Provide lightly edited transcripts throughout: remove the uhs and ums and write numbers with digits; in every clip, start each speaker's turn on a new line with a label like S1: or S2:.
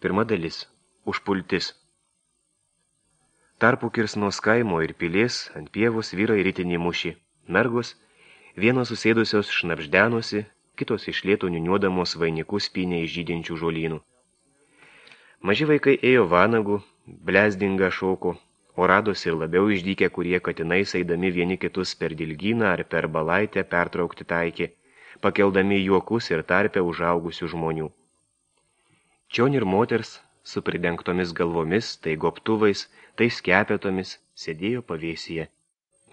S1: Pirma dalis. Užpultis. Tarpu Kirsnos kaimo ir pilies ant pievos vyrai ritinį mušį. Mergos, vienos susėdusios šnapždenosi, kitos iš lėto niuniuodamos vainikus pynė iš žydinčių žolynų. Maži vaikai ėjo vanagų, blezdingą šoko, o radosi ir labiau išdykę, kurie katinais eidami vieni kitus per dilgyną ar per balaitę pertraukti taikė, pakeldami juokus ir tarpę užaugusių žmonių. Čion ir moters, su pridengtomis galvomis, tai gobtuvais, tai skepetomis, sėdėjo pavėsyje.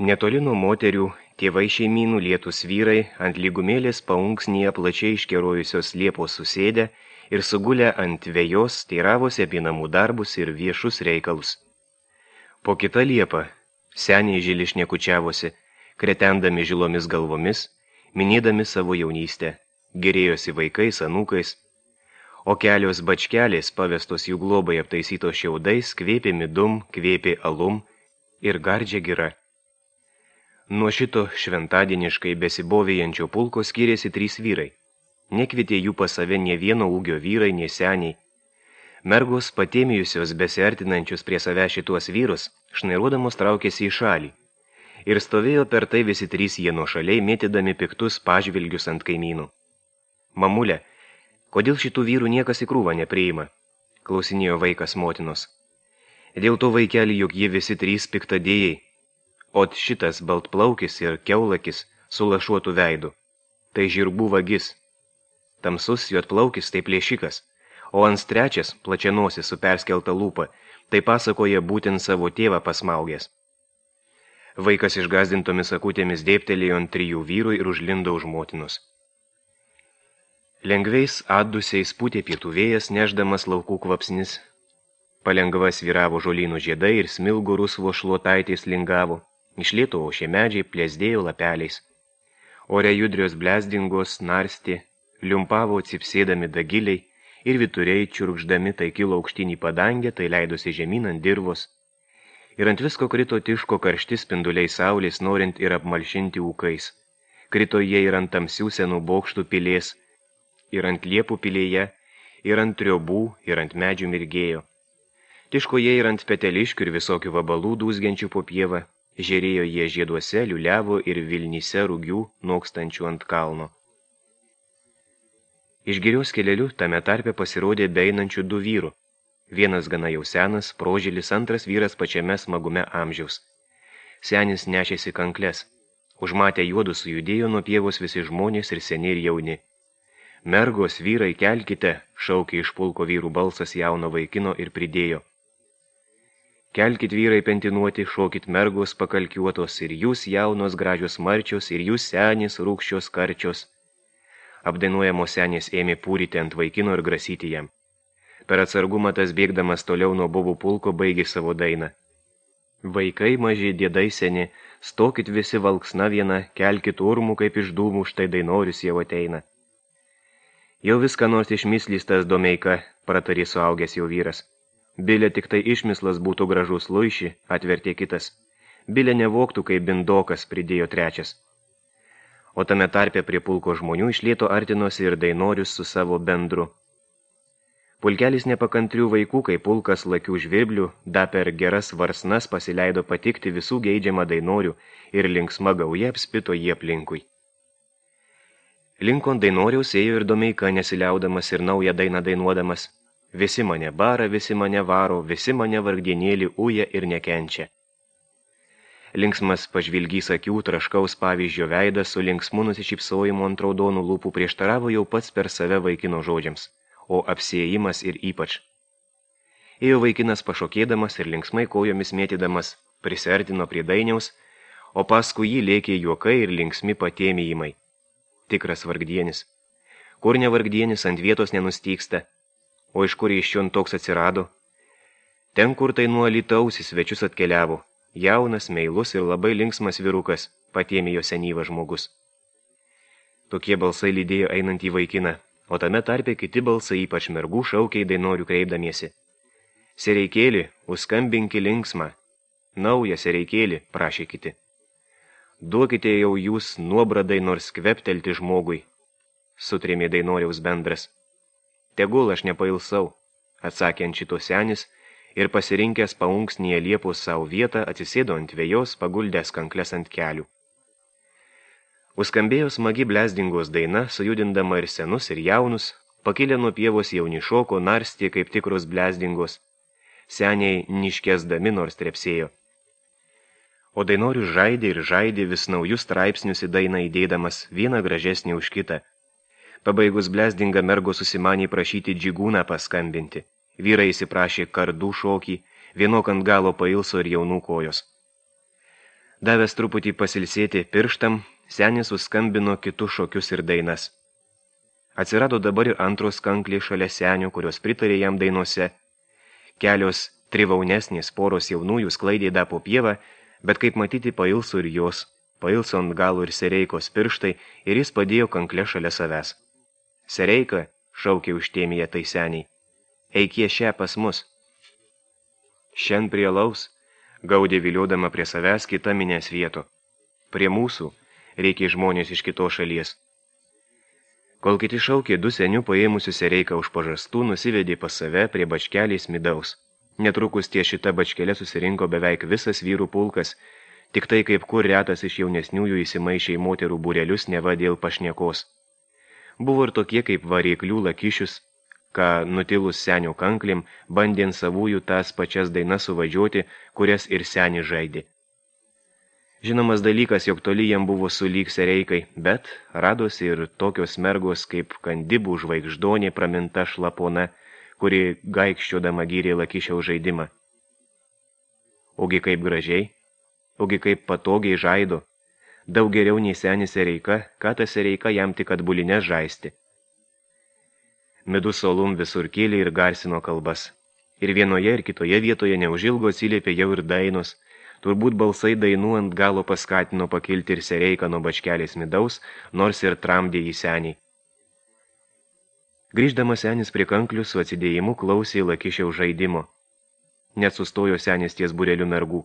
S1: Netoli nuo moterių, tėvai šeimynų lietus vyrai ant lygumėlės paunksnyje plačiai iškerojusios liepos susėdę ir sugulę ant vejos teiravosi apie namų darbus ir viešus reikalus. Po kitą liepą seniai žili šnekučiavosi, kretendami žilomis galvomis, minėdami savo jaunystę, gerėjosi vaikais, anūkais, o kelios bačkelės pavestos jų globai aptaisytos šiaudais, kvėpė midum, kvėpė alum ir gardžia gira. Nuo šito šventadieniškai besibovėjančio pulko skyrėsi 3 vyrai. Nekvietė jų pas save nė vieno ūgio vyrai, nė seniai. Mergos, patėmijusios besiartinančius prie save šituos vyrus, šnairuodamos traukėsi į šalį. Ir stovėjo per tai visi 3 jie nuošaliai, mėtydami piktus pažvilgius ant kaimynų. Mamulė, kodėl šitų vyrų niekas į krūvą nepriima? Klausinėjo vaikas motinos. Dėl to, vaikeli, juk jie visi 3 piktadėjai. Ot šitas baltplaukis ir keulakis su lašuotu veidu. Tai žirgų vagis. Tamsus juodplaukis tai plėšikas, o ant trečias, plačianosis su perskelta lūpa, tai pasakoja būtent savo tėvą pasmaugęs. Vaikas išgazdintomis akutėmis dėptelėjo ant 3 vyrų ir užlindo už motinos. Lengviais atdusiais pūtė pietų vėjas, neždamas laukų kvapsnis. Palengva svyravo žolynų žiedai ir smilgų rusvo šluotaitės lingavo. Iš lėto ošė medžiai plėsdėjo lapeliais. Ore judrios blezdingos narstė, liumpavo cipsėdami dagiliai ir vituriai čiurkšdami tai kilo aukštyn į padangę, tai leidosi žemyn ant dirvos. Ir ant visko krito tiško karšti spinduliai saulės, norint ir apmalšinti ūkais. Krito jie ir ant tamsių senų bokštų pilės, ir ant liepų pilėje, ir ant triobų, ir ant medžių mirgėjo. Tiško jie ir ant peteliškių ir visokių vabalų dūzgiančių po pievą, žėrėjo jie žieduose, liuliavo ir vilnyse rūgių nokstančių ant kalno. Iš girios kelelių tame tarpe pasirodė beeinančių 2 vyrų. Vienas gana jau senas, prožilis, antras vyras pačiame smagume amžiaus. Senis nešėsi kankles. Užmatę juodus sujudėjo nuo pievos visi žmonės ir seni ir jauni. Mergos, vyrai, kelkite, šaukė iš pulko vyrų balsas jauno vaikino ir pridėjo. Kelkit vyrai pentinuoti, šokit mergos pakalkiuotos, ir jūs jaunos gražios marčios, ir jūs senės rūkščios karčios. Apdainuojamos senės ėmė pūryti ant vaikino ir grasyti jam. Per atsargumą tas bėgdamas toliau nuo bobų pulko baigė savo dainą. Vaikai maži, dėdai seni, stokit visi valksna viena, kelkit urmų kaip iš dūmų, štai dainorius jau ateina. Jau viską nors išmislys tas Domeika, pratarė suaugęs jau vyras. Bilė tik tai išmislas būtų gražus luiši, atvertė kitas. Bilė nevoktų kaip bindokas, pridėjo trečias. O tame tarpe prie pulko žmonių iš lėto artinosi ir dainorius su savo bendru. Pulkelis nepakantrių vaikų, kai pulkas lakių žvirblių, da per geras varsnas pasileido patikti visų geidžiamą dainorių ir linksma gauja apspito jie aplinkui. Linkon dainoriaus ėjo ir Domeika nesiliaudamas ir naują dainą dainuodamas. Visi mane bara, visi mane varo, visi mane vargdienėlį uja ir nekenčia. Linksmas pažvilgys akių, traškaus pavyzdžio veidas su linksmu nusišypsojimu ant raudonų lūpų prieštaravo jau pats per save vaikino žodžiams, o apsiėjimas ir ypač. Ėjo vaikinas pašokėdamas ir linksmai kojomis mėtydamas, prisiartino prie dainiaus, o paskui jį lėkė juokai ir linksmi patėmijimai. Tikras vargdienis. Kur ne vargdienis ant vietos nenustyksta, o iš kur iš čion toks atsirado? Ten, kur tai nuo Alytaus į svečius atkeliavo, jaunas, meilus ir labai linksmas vyrukas, patėmijo senyvas žmogus. Tokie balsai lydėjo einant į vaikiną, o tame tarpe kiti balsai ypač mergų šaukė į dainorių kreipdamiesi. Sereikėli, užskambinki linksmą. Naują sereikėli, prašė kiti. Duokite jau jūs nuobradai nors kveptelti žmogui, sutrėmė dainoriaus bendras. Tegul aš nepailsau, atsakė ant šito senis ir pasirinkęs paunksnyje liepos savo vietą atsisėdo ant vėjos, paguldęs kankles ant kelių. Užskambėjo smagi blezdingos daina, sujudindama ir senus, ir jaunus, pakilę nuo pievos jauni šoko, narstė kaip tikros blezdingos, seniai niškesdami nors trepsėjo. O dainorius žaidė vis naujus straipsnius į dainą įdėdamas, vieną gražesnį už kitą. Pabaigus blezdingą mergo susimanė prašyti džigūną paskambinti. Vyrai įsiprašė kardų šokį, vienok ant galo pailso ir jaunų kojos. Davęs truputį pasilsėti pirštam, senis suskambino kitus šokius ir dainas. Atsirado dabar ir antros kanklės šalia senio, kurios pritarė jam dainose. Kelios trivaunesnės poros jaunųjų sklaidė po pievą, bet kaip matyti pailso ir jos, pailso ant galo ir Sereikos pirštai ir jis padėjo kanklę šalia savęs. Sereika, šaukė užtėmėje tai seniai, eikie šią pas mus. Šen prie laus, gaudė viliodama prie savęs kita minės vieto. Prie mūsų reikia žmonės iš kitos šalies. Kol kiti šaukė, du senių paėmusių Sereiką už pažastų nusivedė pas save prie bačkelės midaus. Netrukus ties šita bačkelė susirinko beveik visas vyrų pulkas, tik tai kaip kur retas iš jaunesniųjų įsimaišė į moterų būrelius neva dėl pašniekos. Buvo ir tokie kaip variklių lakišius, ką nutilus senio kanklim, bandė savųjų tas pačias dainas suvadžioti, kurias ir seni žaidė. Žinomas dalykas, jog toli jam buvo sulyg Sereikai, bet radosi ir tokios mergos kaip Kandibų žvaigždonė praminta šlapona, kuri gaikščiodama gyrė lakišiaus žaidimą. Ogi kaip gražiai, ogi kaip patogiai žaido, daug geriau nei senis Sereika, ką ta Sereika jam tik atbulinės žaisti. Midus solum visur kėlė ir garsino kalbas. Ir vienoje ir kitoje vietoje neužilgo atsiliepė jau ir dainos. Turbūt balsai dainų ant galo paskatino pakilti ir Sereiką nuo bačkelės midaus, nors ir tramdė į senį. Grįždamas senis prie kanklių su atsidėjimu klausė lakišiaus žaidimo. Net sustojo senis ties būreliu mergų,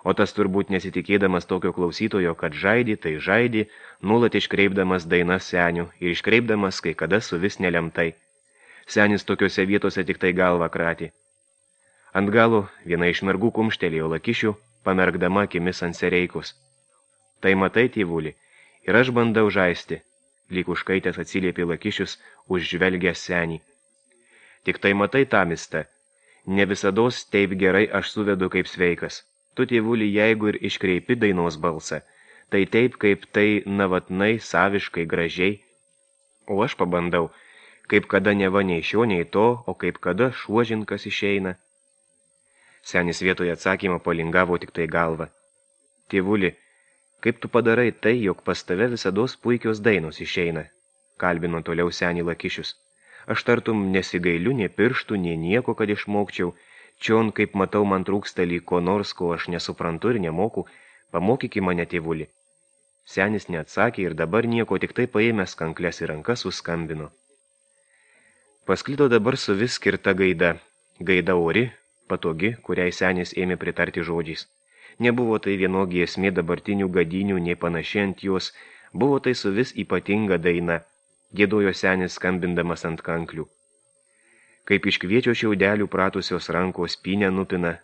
S1: o tas turbūt nesitikėdamas tokio klausytojo, kad žaidė, tai žaidė, nuolat iškreipdamas dainas senių ir iškreipdamas kai kada su vis nelemtai. Senis tokiose vietose tik tai galvą kratė. Ant galo viena iš mergų kumštelėjo lakišių, pamerkdama akimis ant Sereikos. Tai matai, tėvuli, ir aš bandau žaisti, lyg užkaitęs atsiliepė lakišius, užžvelgęs senį. Tik tai matai, tamista, ne visados taip gerai aš suvedu kaip sveikas. Tu, tėvuli, jeigu ir iškreipi dainos balsą, tai taip, kaip tai navatnai, saviškai, gražiai. O aš pabandau, kaip kada neva nei šio, nei to, o kaip kada šuožinkas išeina. Senis vietoje atsakymą palingavo tik tai galvą. Tėvuli, kaip tu padarai tai, jog pas tave visados puikios dainos išeina, kalbino toliau senį lakišius. Aš tartum nesigailiu nei pirštų, nei nieko, kad išmokčiau. Čion, kaip matau, man trūksta lyg ko nors, ko aš nesuprantu ir nemoku, pamokyki mane, tėvuli. Senis neatsakė ir dabar nieko, tik tai paėmęs kankles į rankas suskambino. Pasklido dabar su vis skirta gaida. Gaida ori, patogi, kuriai senis ėmė pritarti žodžiais. Nebuvo tai vienogi esmė dabartinių gadinių, nei panaši ant jos, buvo tai su vis ypatinga daina, giedojo senis skambindamas ant kanklių. Kaip iš kviečio šiaudelių pratusios rankos pynę nupina,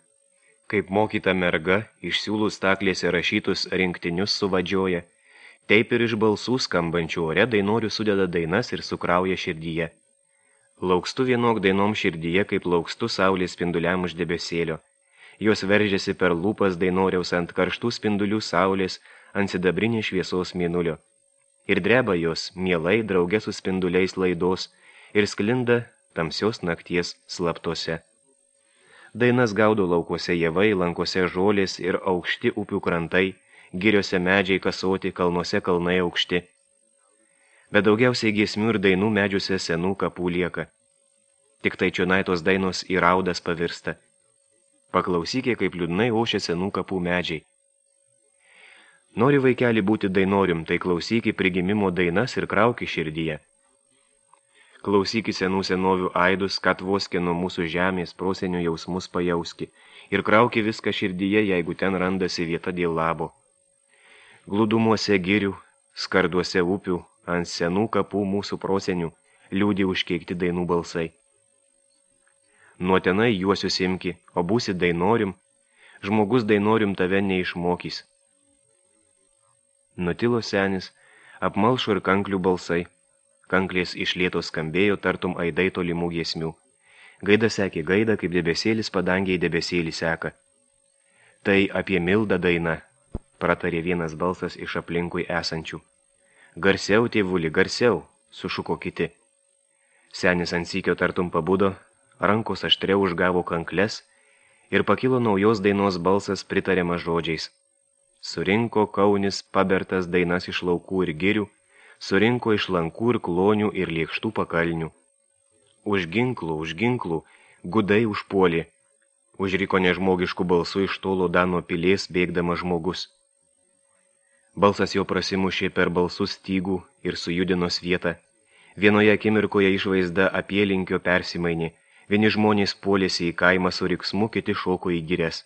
S1: kaip mokyta merga iš siūlų staklėse rašytus rinktinius suvadžioja, taip ir iš balsų skambančių ore dainorių sudeda dainas ir sukrauja širdyje. Laukstu vienok dainom širdyje, kaip laukstu saulės spinduliam už debesėlio. Jos veržiasi per lūpas dainoriaus ant karštų spindulių saulės, ant sidabrinės šviesos mėnulio. Ir dreba jos, mielai, drauge su spinduliais laidos, ir sklinda tamsios nakties slaptose. Dainas gaudo laukuose javai, lankose žolės ir aukšti upių krantai, giriose medžiai kasoti, kalnuose kalnai aukšti. Bet daugiausiai giesmių ir dainų medžiuose senų kapų lieka. Tik tai čionai tos dainos į raudas pavirsta. Paklausykė, kaip liūdnai ošia senų kapų medžiai. Nori vaikeli būti dainorium, tai klausyki prigimimo dainas ir krauki širdyje. Klausyki senų senovių aidus, kad voskė nuo mūsų žemės prosenio jausmus pajauski, ir krauki viską širdyje, jeigu ten randasi vieta dėl labo. Glūdumuose girių, skarduose upių, ant senų kapų mūsų prosenių, liūdį užkeikti dainų balsai. nuo tenai juosius imki, o būsi dainorim, žmogus dainorim tave neišmokys. Nutilo senis, apmalšo ir kanklių balsai. Kanklės iš lėto skambėjo, tartum aidai tolimų giesmių. Gaida sekė gaida, kaip debesėlis padangiai debesėlį seka. Tai apie Mildą daina, pratarė vienas balsas iš aplinkui esančių. Garsiau, tėvuli, garsiau, sušuko kiti. Senis ant sykio tartum pabudo, rankos aštriau užgavo kankles ir pakilo naujos dainos balsas pritariamas žodžiais. Surinko Kaunis pabertas dainas iš laukų ir girių, surinko iš lankų ir klonių ir lėkštų pakalnių. Už ginklų, gudai užpuolė, užriko nežmogiškų balsų iš tolo Dano pilies bėgdamas žmogus. Balsas jo prasimušė per balsų stygų ir sujudino vietą. Vienoje akimirkoje išvaizda apylinkio persimainė, vieni žmonės puolėsi į kaimą su riksmu, kiti šoko į girias.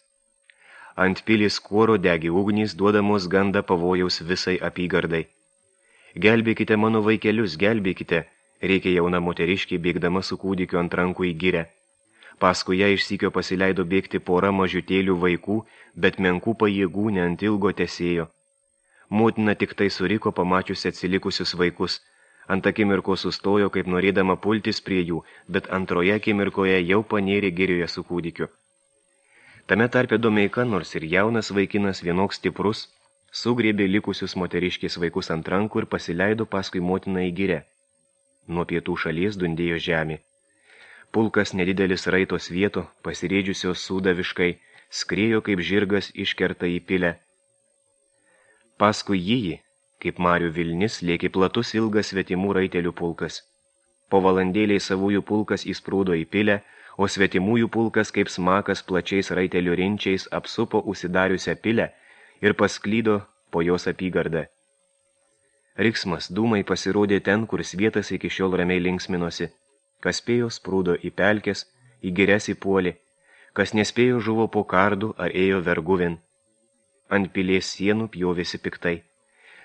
S1: Ant pilys kuoro degi ugnys, duodamos gandą pavojaus visai apygardai. Gelbėkite mano vaikelius, gelbėkite, reikia jauna moteriškė bėgdama su kūdikiu ant rankų į girę. Paskui ją iš sykio pasileido bėgti pora mažutėlių vaikų, bet menkų pajėgų ne ant ilgo tesėjo. Motina tik tai suriko pamačiusi atsilikusius vaikus. Ant akimirko sustojo, kaip norėdama pultis prie jų, bet antroje akimirkoje jau panėrė girioje su kūdikiu. Tame tarpe Domeika, nors ir jaunas vaikinas, vienoks stiprus, sugriebė likusius moteriškės vaikus ant rankų ir pasileido paskui motiną į girę. Nuo pietų šalies dundėjo žemė. Pulkas nedidelis raitos vieto, pasirėdžiusios sūdaviškai, skriejo kaip žirgas iškerta į pilę. Paskui jį, kaip marių vilnis, lėkė platus ilgas svetimų raitelių pulkas. Po valandėliai savųjų pulkas įsprūdo į pilę, o svetimųjų pulkas kaip smakas plačiais raitelių rinčiais apsupo užsidariusią pilę ir pasklydo po jos apygardą. Riksmas dūmai pasirodė ten, kur svietas iki šiol ramiai linksminosi. Kas spėjo sprūdo į pelkes, į girias įpuolė, kas nespėjo žuvo po kardų ar ėjo verguvin. Ant pilies sienų pjovėsi piktai.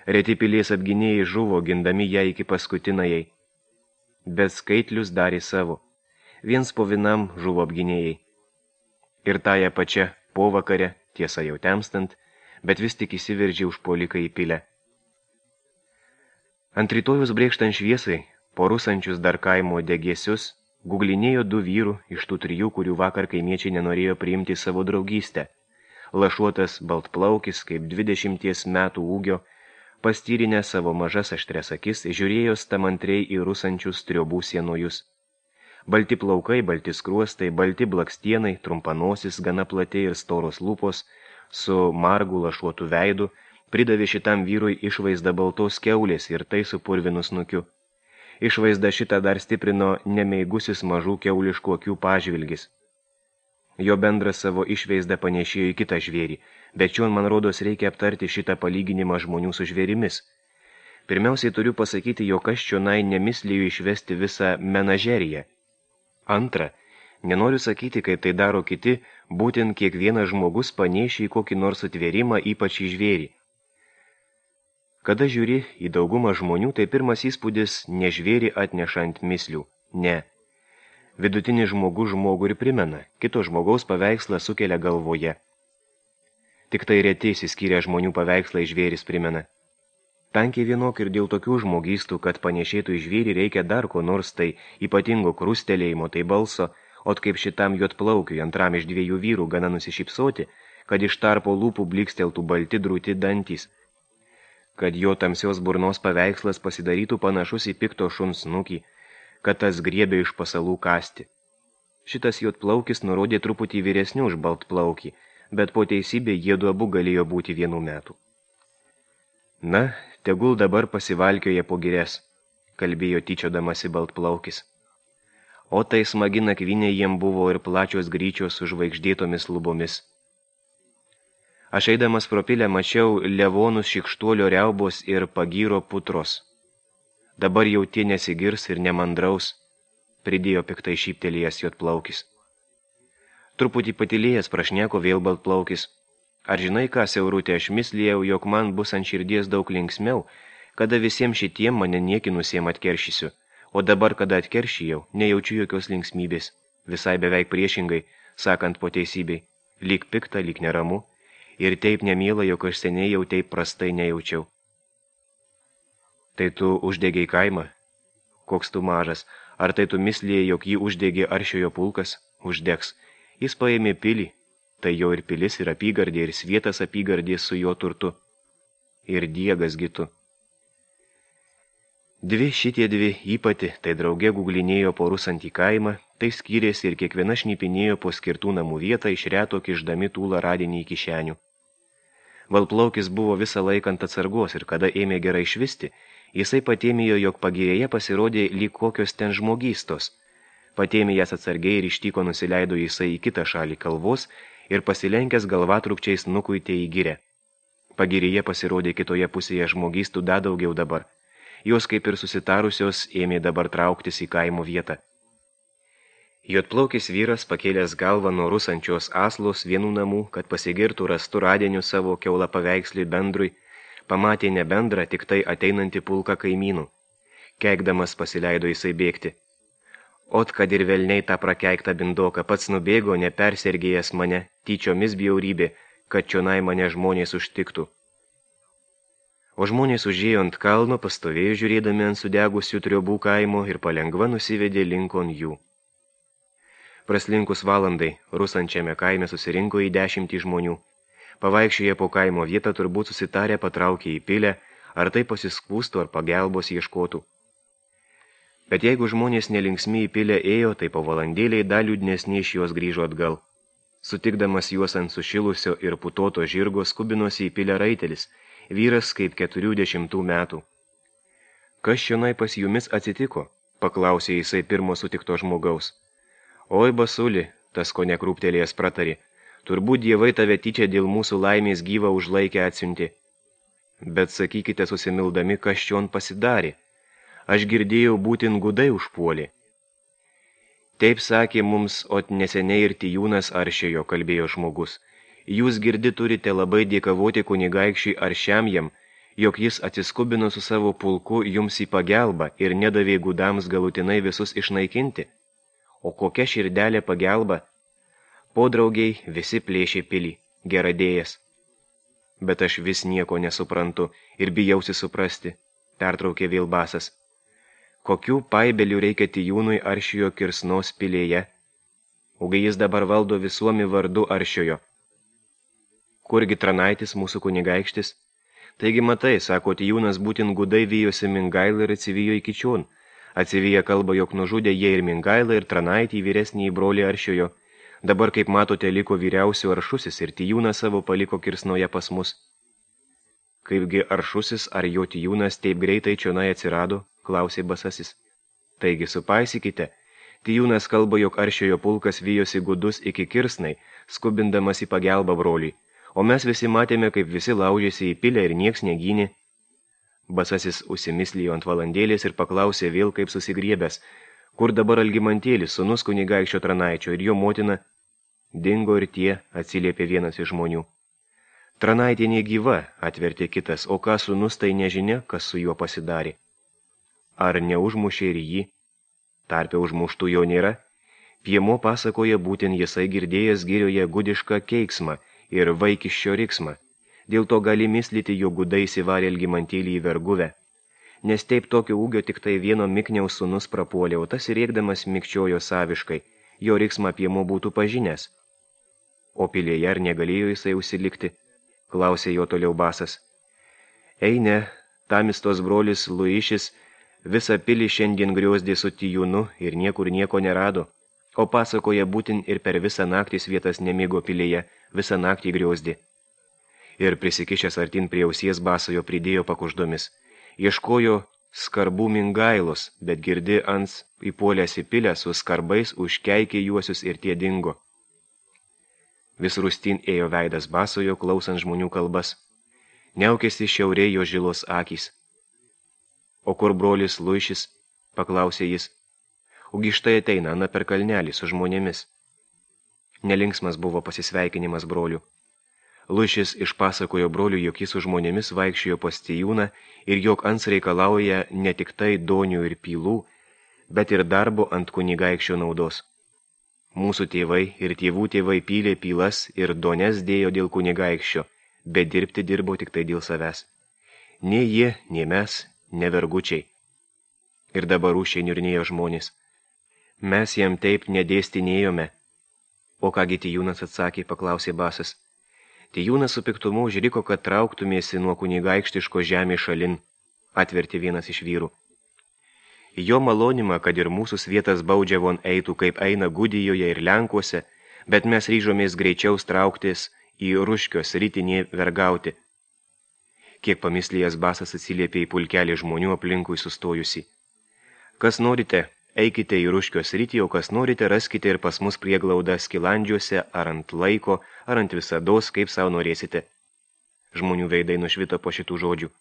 S1: Reti pilies apginėjai žuvo, gindami ją iki paskutinajai. Bet skaitlius darė savo. Viens po vienam žuvo apginėjai. Ir tąją pačią po vakare, tiesa jau temstant, bet vis tik įsiveržė užpuolikai į pilę. Ant rytojus brėkštant šviesai, po rusančius dar kaimo degėsius, guglinėjo du vyrų iš tų trijų, kurių vakar kaimiečiai nenorėjo priimti savo draugystę. Lašuotas baltplaukis, kaip 20 metų ūgio, pastyrinę savo mažas aštrias akis, žiūrėjo stamantriai į rusančius triobų sienojus. Balti plaukai, balti skruostai, balti blakstienai, trumpanosis, gana plati ir storos lūpos, su margu lašuotų veidu, pridavė šitam vyrui išvaizdą baltos kiaulės ir tai su purvinu snukiu. Išvaizdą šitą dar stiprino nemeigusis mažų kiauliškų akių pažvilgis. Jo bendras savo išvaizdą panešėjo į kitą žvėrį, bet čion man rodos reikia aptarti šitą palyginimą žmonių su žvėrimis. Pirmiausiai turiu pasakyti, jog aš čionai nemisliju išvesti visą menažeriją. Antra, nenoriu sakyti, kaip tai daro kiti, būtent kiekvienas žmogus panešė į kokį nors sutvėrimą, ypač į žvėrį. Kada žiūri į daugumą žmonių, tai pirmas įspūdis ne žvėrį atnešant mislių, ne. Vidutinis žmogus žmogų ir primena, kito žmogaus paveikslą sukelia galvoje. Tik tai reti išsiskyrę žmonių paveikslai žvėris primena. Tankiai vienok ir dėl tokių žmogystų, kad panešėtų į žvėrį reikia dar ko nors tai ypatingo krustelėjimo, tai balso, ot kaip šitam juodplaukiui antram iš dviejų vyrų gana nusišypsoti, kad iš tarpo lūpų bliksteltų balti drūti dantys, kad jo tamsios burnos paveikslas pasidarytų panašus į pikto šuns snukį, kad tas griebė iš pasalų kasti. Šitas juodplaukis nurodė truputį vyresnių už baltplaukį, bet po teisybė jiedu abu galėjo būti 1 metų. Na, tegul dabar pasivalkioja po girias, kalbėjo tyčiodamasi baltplaukis. O tai smagi nakvynė jiem buvo ir plačios gryčios su žvaigždėtomis lubomis. Aš eidamas pro pilę mačiau levonus šikštuolio riaubos ir pagyro putros. Dabar jau tie nesigirs ir nemandraus, pridėjo piktai šyptelėjęs juodplaukis. Truputį patylėjęs prašneko vėl baltplaukis. Ar žinai ką, siaurutė, aš mislėjau, jog man bus ant širdies daug linksmiau, kada visiems šitiem mane niekinusiem atkeršysiu, o dabar, kada atkeršijau, nejaučiu jokios linksmybės. visai beveik priešingai, sakant po teisybei, lyg pikta, lyg neramu, ir taip nemiela, jog aš seniai jau taip prastai nejaučiau. Tai tu uždegiai kaimą? Koks tu mažas, ar tai tu mislėjai, jog jį uždegė Aršiojo pulkas? Uždegs. Jis paėmė pilį, tai jo ir pilis, ir apygardė, ir svietas apygardė su jo turtu. Ir diegas gitu. Šitie dvi ypati, tai drauge guglinėjo po rusantį kaimą, tai skyrėsi ir kiekviena šnipinėjo po skirtų namų vietą iš reto kišdami tūlą radinį į kišenių. Valplaukis buvo visą laiką ant atsargos ir kada ėmė gerai švisti, jisai patėmėjo, jog pagirėje pasirodė lyg kokios ten žmogystos. Patėmė jas atsargiai ir ištyko nusileido jisai į kitą šalį kalvos ir pasilenkęs galvatrukčiais nukuitė į girę. Pagirėje pasirodė kitoje pusėje žmogystų dar daugiau dabar. Jos kaip ir susitarusios ėmė dabar trauktis į kaimo vietą. Juodplaukis vyras pakėlęs galvą nuo rusančios aslos vienų namų, kad pasigirtų rastu radiniu savo keulą paveikslį bendrui, pamatė ne bendrą, tik tai ateinantį pulką kaimynų. Keikdamas pasileido jisai bėgti. Ot, kad ir velniai tą prakeiktą bindoką pats nubėgo, nepersergėjęs mane, tyčiomis bjaurybė, kad čionai mane žmonės užtiktų. O žmonės užėjo ant kalno, pastovėjo žiūrėdami ant sudegusių triobų kaimo ir palengva nusivedė linkon jų. Praslinkus valandai, rusančiame kaime susirinko į 10 žmonių. Pavaikščioje po kaimo vietą turbūt susitarę patraukė į pilę, ar tai pasiskūstų, ar pagelbos ieškotų. Bet jeigu žmonės nelinksmi į pilę ėjo, tai po valandėliai dar liūdnesni iš jos grįžo atgal. Sutikdamas juos ant sušilusio ir putoto žirgo skubinosi į pilę raitelis, vyras kaip 40 metų. Kas čionai pas jumis atsitiko? Paklausė jisai pirmo sutikto žmogaus. Oi, basuli, tas ko nekrūptelėjęs pratarė, turbūt dievai tave tyčia dėl mūsų laimės gyvą užlaikę atsiuntė. Bet sakykite susimildami, kas čion pasidarė. Aš girdėjau, būtin gudai užpuolė. Taip sakė mums, ot neseniai ir Tijūnas Aršiojo, kalbėjo žmogus. Jūs girdi turite labai dėkavoti kunigaikščiui Aršiam jam, jog jis atsiskubino su savo pulku jums į pagelbą ir nedavė gudams galutinai visus išnaikinti. O kokia širdelė pagelba? Podraugiai visi plėšė pilį, geradėjas. Bet aš vis nieko nesuprantu ir bijausi suprasti, pertraukė vėl basas. Kokių paibelių reikia Tijūnui Aršiojo kirsnos pilėje? Ugi jis dabar valdo visuomi vardu Aršiojo. Kurgi Tranaitis mūsų kunigaikštis? Taigi matai, sako Tijūnas, būtin gudai vijosi Mingailą ir atsivijo iki čion. Atsiviję kalba, jog nužudė jie ir Mingailą ir Tranaitį vyresnį brolį Aršiojo. Dabar, kaip matote, liko vyriausių Aršusis ir Tijūnas savo paliko kirsnoje pas mus. Kaipgi Aršusis ar jo Tijūnas taip greitai čionai atsirado, klausė basasis. Taigi supaisykite. Tijūnas kalba, jog Aršiojo pulkas vijosi gudus iki kirsnai, skubindamas į pagelbą brolį. O mes visi matėme, kaip visi laužėsi į pilę ir nieks negynė. Basasis užsimislijo ant valandėlės ir paklausė vėl kaip susigriebęs, kur dabar Algimantėlis, sūnus kunigaikščio Tranaičio ir jo motina. Dingo ir tie, atsiliepė vienas iš žmonių. Tranaitė negyva, atvertė kitas, o ką sūnus tai nežinia, kas su juo pasidarė. Ar neužmušė ir jį? Tarpe užmuštų jo nėra. Piemo pasakoja būtent jisai girdėjęs girioje gudišką keiksmą ir vaikiščio riksmą. Dėl to gali mislyti, jo gudai įsivarė Algimantėlį į verguvę. Nes taip tokio ūgio tik tai vieno Mikniaus sūnus prapuolė, o tas rėkdamas mikčiojo saviškai, jo riksmą Piemo būtų pažinęs. O pilėje ar negalėjo jisai užsilikti? Klausė jo toliau basas. Ei ne, Tamistos brolis Luišis visą pilį šiandien griozdė su Tijūnu ir niekur nieko nerado. O pasakoja būtin ir per visą naktį vietas nemigo pilėje, visą naktį griozdė. Ir prisikišęs artin prie ausies basojo pridėjo pakuždomis. Ieškojo skarbų Mingailos, bet girdi ans įpuolęs į pilę su skarbais užkeikė juosius ir tie dingo. Vis rūstin ėjo veidas basojo, klausant žmonių kalbas. Niaukėsi šiaurė jo žilos akys. O kur brolis Luišis? Paklausė jis. Ugi štai ateina Ana per kalnelį su žmonėmis. Nelinksmas buvo pasisveikinimas brolių. Luišis išpasakojo brolių, jog jis su žmonėmis vaikščiojo pas Tijūną ir jog ans reikalauja ne tik tai donių ir pylų, bet ir darbo ant kunigaikščio naudos. Mūsų tėvai ir tėvų tėvai pylė pylas ir dones dėjo dėl kunigaikščio, bet dirbti dirbo tik tai dėl savęs. Nei jie, nei mes, ne vergučiai. Ir dabar rūšiai niurnėjo žmonės. Mes jam taip nedėstinėjome. O kągi Tijūnas atsakė, paklausė Basas. Tijūnas su piktumu užriko, kad trauktumėsi nuo kunigaikštiško žemės šalin, atvertė vienas iš vyrų. Jo malonimą, kad ir mūsų svietas baudžiavon eitų, kaip eina Gudijoje ir Lenkuose, bet mes ryžomės greičiau trauktis į Ruškios rytinį vergauti. Kiek pamislėjęs Basas atsiliepė į pulkelį žmonių aplinkui sustojusi. Kas norite, eikite į Ruškios rytį, o kas norite, raskite ir pas mus prieglaudą Skilandžiuose, ar ant laiko, ar ant visados, kaip savo norėsite. Žmonių veidai nušvito po šitų žodžių.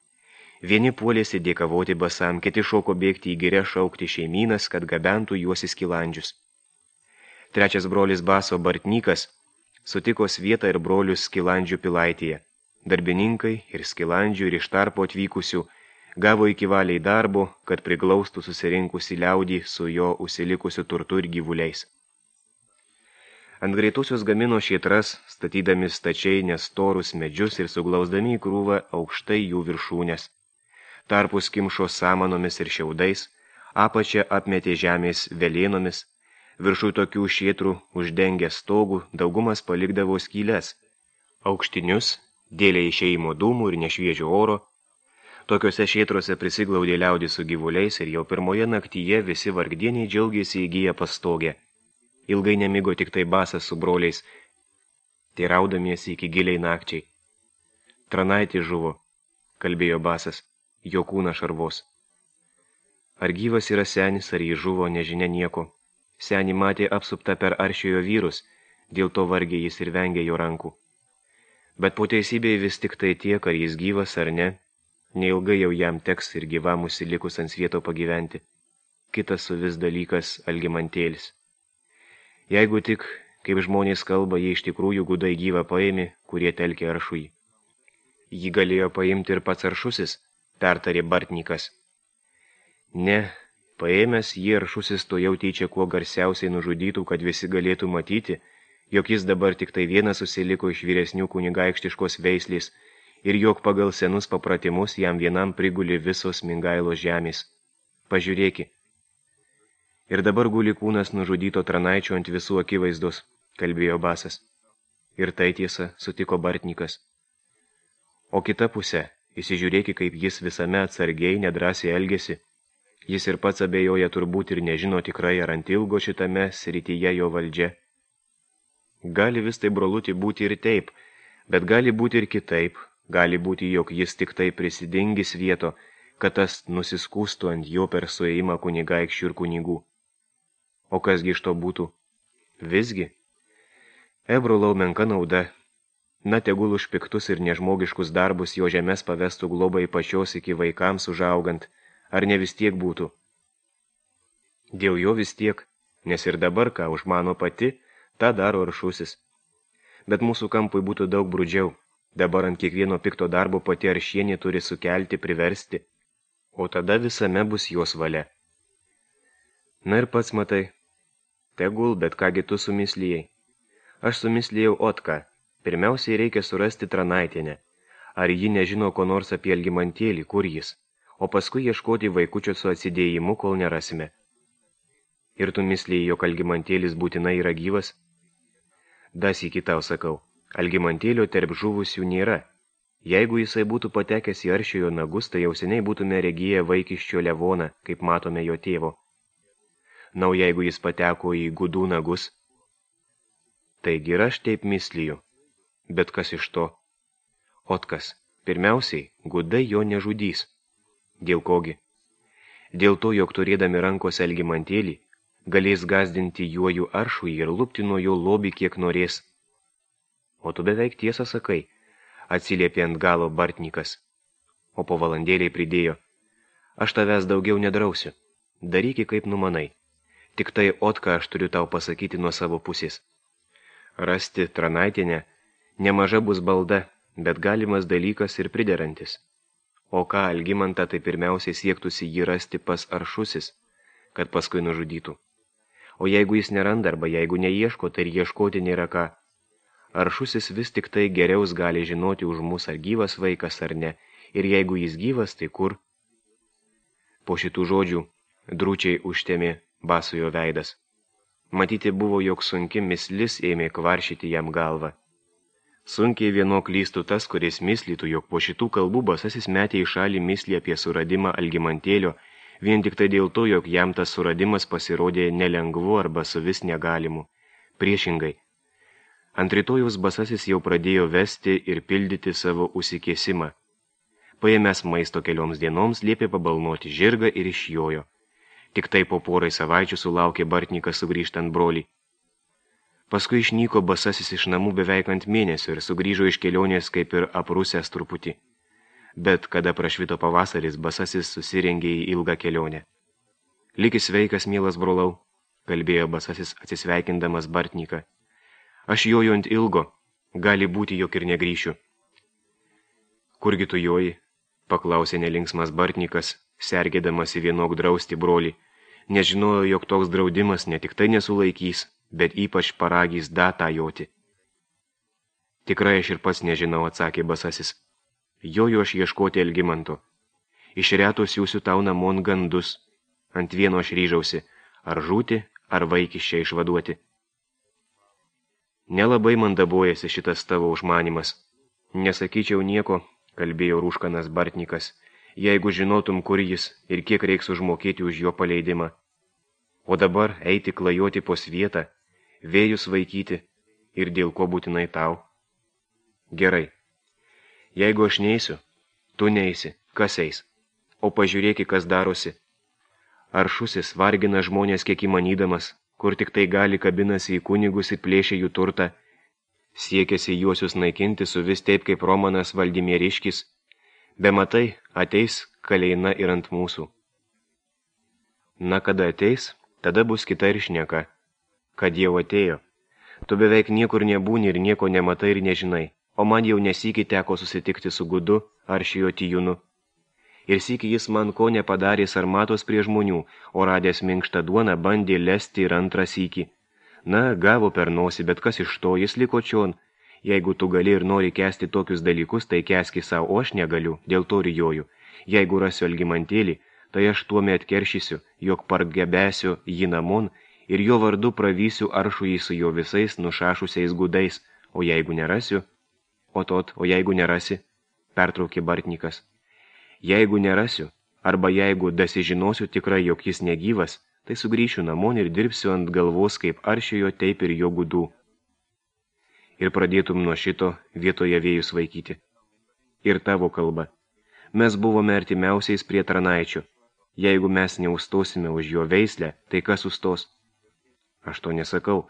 S1: Vieni puolėsi dėkavoti Basam, kiti šoko bėgti į girę šaukti šeimynas, kad gabentų juos į Skilandžius. Trečias brolis Baso Bartnykas sutiko Svietą ir brolius Skilandžių pilaitėje. Darbininkai ir Skilandžių ir iš tarpo atvykusių gavo iki valiai darbo, kad priglaustų susirinkusi liaudį su jo užsilikusiu turtu ir gyvuliais. Ant greitusios gamino šėtras, statydami stačiai nestorus medžius ir suglausdami į krūvą aukštai jų viršūnės. Tarpus kimšo samanomis ir šiaudais, apačią apmetė žemės velėnomis, viršui tokių šėtrų uždengę stogų, daugumas palikdavo skyles, aukštinius, dėlė išėjimo dūmų ir nešviežio oro. Tokiuose šėtruose prisiglaudė liaudį su gyvuliais ir jau pirmoje naktyje visi vargdieniai džiaugėsi įgyję pastogę. Ilgai nemigo tik tai Basas su broliais, teiraudamiesi iki giliai nakčiai. Tranaitė žuvo, kalbėjo Basas, jo kūną šarvos. Ar gyvas yra senis, ar jį žuvo, nežinia nieko. Senį matė apsuptą per aršiojo vyrus, dėl to vargiai jis ir vengė jo rankų. Bet po teisybėje vis tik tai tiek, ar jis gyvas ar ne, neilgai jau jam teks ir gyvam užsilikus ant svieto pagyventi. Kitas suvis dalykas Algimantėlis. Jeigu tik, kaip žmonės kalba, jie iš tikrųjų gudai gyvą paėmė, kurie telkė aršui. Jį galėjo paimti ir pats aršusis, pertarė Bartnykas. Ne, paėmęs jį aršusis to jau tyčia kuo garsiausiai nužudytų, kad visi galėtų matyti, jog jis dabar tik tai vienas susiliko iš vyresnių kunigaikštiškos veislės ir jog pagal senus papratimus jam vienam priguli visos Mingailos žemės. Pažiūrėki. Ir dabar guli kūnas nužudyto Tranaičio ant visų akivaizdos, kalbėjo Basas. Ir tai tiesa, sutiko Bartnykas. O kita pusė, įsižiūrėki, kaip jis visame atsargiai nedrąsiai elgėsi. Jis ir pats abejoja turbūt ir nežino tikrai, ar ant ilgo šitame srityje jo valdžia. Gali vis tai, brolutį, būti ir taip, bet gali būti ir kitaip. Gali būti, jog jis tik tai prisidingis vieto, kad tas nusiskūstų ant jo per suėjimą kunigaikščių ir kunigų. O kasgi iš to būtų? Visgi? Brolau, menka nauda. Na, tegul už piktus ir nežmogiškus darbus jo žemės pavestų globai pačios iki vaikams užaugant, ar ne vis tiek būtų? Dėl jo vis tiek, nes ir dabar, ką užmano pati, tą daro aršusis. Bet mūsų kampui būtų daug brudžiau. Dabar ant kiekvieno pikto darbo pati aršienė turi sukelti, priversti, o tada visame bus jos valia. Na ir pats matai. Tegul, bet kągi tu sumislijai. Aš sumislėjau Otką. Pirmiausiai reikia surasti Tranaitienę. Ar ji nežino ko nors apie Algimantėlį, kur jis, o paskui ieškoti vaikučio su atsidėjimu, kol nerasime. Ir tu mislėjai, jog Algimantėlis būtinai yra gyvas? Dasykį tau sakau, Algimantėlio tarp žuvusių nėra. Jeigu jisai būtų patekęs į aršiojo nagus, tai jau seniai būtume regiję vaikiščio Levoną, kaip matome jo tėvo. Na, o jeigu jis pateko į gudų nagus? Taigi ir aš taip misliju. Bet kas iš to? Otkas, pirmiausiai, gudai jo nežudys. Dėl kogi? Dėl to, jog turėdami rankose Algimantėlį, galės gazdinti juojų aršui ir lupti nuo jo lobį kiek norės. O tu beveik tiesą sakai, atsiliepė ant galo Bartnykas. O po valandėliai pridėjo, aš tavęs daugiau nedrausiu, daryki kaip numanai. Tik tai, Otką, aš turiu tau pasakyti nuo savo pusės. Rasti Tranaitienę nemaža bus balda, bet galimas dalykas ir priderantis. O ką Algimantą, tai pirmiausiai siektųsi jį rasti pas aršusis, kad paskui nužudytų. O jeigu jis neranda arba jeigu neieško, tai ir ieškoti nėra ką. Aršusis vis tik tai geriaus gali žinoti už mus, ar gyvas vaikas ar ne, ir jeigu jis gyvas, tai kur? Po šitų žodžių drūčiai užtemė Basojo veidas. Matyti buvo, jog sunki mislis ėmė kvaršyti jam galvą. Sunkiai vieno klystų tas, kuris mislytų, jog po šitų kalbų Basasis metė į šalį mislį apie suradimą Algimantėlio, vien tik tai dėl to, jog jam tas suradimas pasirodė nelengvu arba suvis negalimu. Priešingai. Ant rytojaus Basasis jau pradėjo vesti ir pildyti savo užsikėsimą. Paėmęs maisto kelioms dienoms, liepė pabalnoti žirgą ir išjojo. Tik tai po porai savaičių sulaukė Bartnikas sugrįžtant brolį. Paskui išnyko Basasis iš namų beveik ant mėnesio ir sugrįžo iš kelionės kaip ir aprusęs truputį. Bet kada prašvito pavasaris, Basasis susirengė į ilgą kelionę. Likis sveikas, mielas brolau, kalbėjo Basasis atsisveikindamas Bartniką. Aš joju ant ilgo, gali būti, jog ir negrįšiu. Kurgi tu joji? Paklausė nelinksmas Bartnikas, sergėdamas į vienok drausti brolį. Nežinojo, jog toks draudimas ne tik tai nesulaikys, bet ypač paragys datą joti. Tikrai aš ir pats nežinau, atsakė Basasis. Joju aš ieškoti Algimanto. Iš reto siūsiu tau namon gandus. Ant vieno aš ryžausi, ar žūti, ar vaikiščią išvaduoti. Nelabai man dabojasi šitas tavo užmanimas. Nesakyčiau nieko, kalbėjo rūškanas Bartnikas, jeigu žinotum, kur jis ir kiek reiks užmokėti už jo paleidimą. O dabar eiti klajoti po svietą, vėjus vaikyti ir dėl ko būtinai tau. Gerai. Jeigu aš neisiu, tu neisi, kas eis? O pažiūrėki, kas darosi. Aršusis vargina žmonės kiek įmanydamas, kur tik tai gali kabinasi į kunigus ir plėšia jų turtą. Siekėsi juosius naikinti su vis taip kaip Romanas Valdimieriškis. Be matai, ateis kaleina ir ant mūsų. Na, kada ateis, tada bus kita ir šneka. Kad jau atėjo. Tu beveik niekur nebūni ir nieko nematai ir nežinai, o man jau nesykį teko susitikti su Gudu ar šijo Tijūnu. Ir sykį jis man ko nepadarė sarmatos prie žmonių, o radęs minkštą duoną bandė lesti ir antrą sykį. Na, gavo per nosį, bet kas iš to, jis liko čion. Jeigu tu gali ir nori kęsti tokius dalykus, tai kęski savo, o aš negaliu, dėl to rijoju. Jeigu rasiu Algimantėlį, tai aš tuomet keršysiu, jog pargebesiu jį namon ir jo vardu pravysiu aršų jį su jo visais nušašusiais gudais, o jeigu nerasiu, o jeigu nerasi, pertraukė Bartnikas. Jeigu nerasiu, arba jeigu dasižinosiu tikrai, jog jis negyvas, tai sugrįšiu namon ir dirbsiu ant galvos kaip aršiojo, taip ir jo gudų. Ir pradėtum nuo šito vietoje vėjus vaikyti. Ir tavo kalba. Mes buvome artimiausiais prie Tranaičio. Jeigu mes neustosime už jo veislę, tai kas sustos? Aš to nesakau.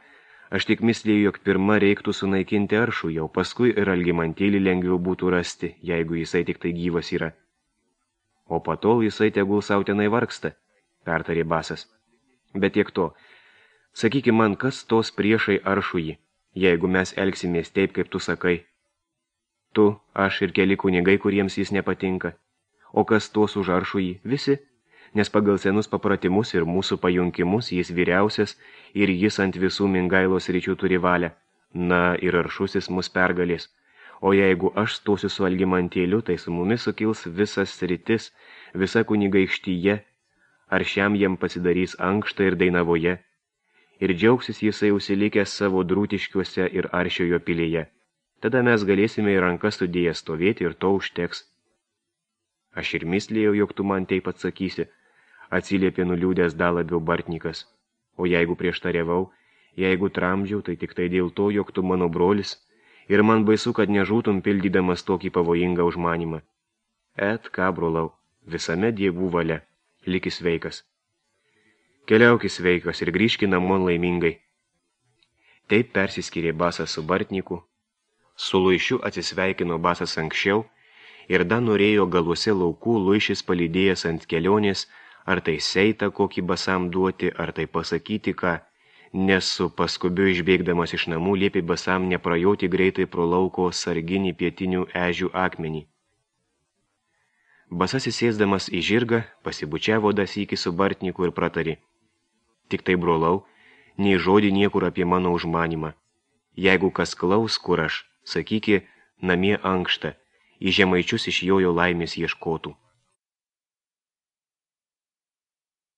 S1: Aš tik mislėjau, jog pirma reiktų sunaikinti aršų, jau paskui ir Algimantėlį lengviau būtų rasti, jeigu jisai tik tai gyvas yra. O patol jisai tegul sau tenai vargsta, pertarė Basas. Bet tiek to. Sakyki man, kas tos priešai aršų jį, jeigu mes elgsimės taip, kaip tu sakai. Tu, aš ir keli kunigai, kuriems jis nepatinka. O kas tos už aršų jį? Visi. Nes pagal senus papratimus ir mūsų pajunkimus jis vyriausias ir jis ant visų Mingailos ryčių turi valią. Na, ir aršusis mus pergalės. O jeigu aš stosiu su Algimantėliu, tai su mumis sukils visas sritis, visa kunigaikštyje, ar šiam jam pasidarys ankštą ir Dainavoje. Ir džiaugsis jisai užsilikęs savo Drūtiškiuose ir Aršiojo pilyje. Tada mes galėsime į rankas sudėję stovėti ir to užteks. Aš ir mislėjau, jog tu man taip atsakysi, atsiliepė nuliūdęs dar labiau Bartnikas. O jeigu prieštariavau, jeigu tramdžiau, tai tik tai dėl to, jog tu mano brolis, ir man baisu, kad nežūtum pildydamas tokį pavojingą užmanimą. Et ką, brolau, visame dievų valia, likis sveikas. Keliaukis sveikas ir grįžki namon laimingai. Taip persiskyrė Basas su Bartniku. Su Luišiu atsisveikino Basas anksčiau ir dar norėjo galuose laukų Luišis palydėjęs ant kelionės, ar tai seitą kokį Basam duoti, ar tai pasakyti ką, nes su paskubiu išbėgdamas iš namų liepė Basam neprajoti greitai pro lauko sarginį pietinių ežių akmenį. Basas įsėsdamas į žirgą, pasibučiavo dasykį su Bartniku ir pratarė. Tik tai, brolau, nei žodį niekur apie mano užmanimą. Jeigu kas klaus, kur aš, sakyki, namie ankšta, į žemaičius iš jojo laimės ieškotų.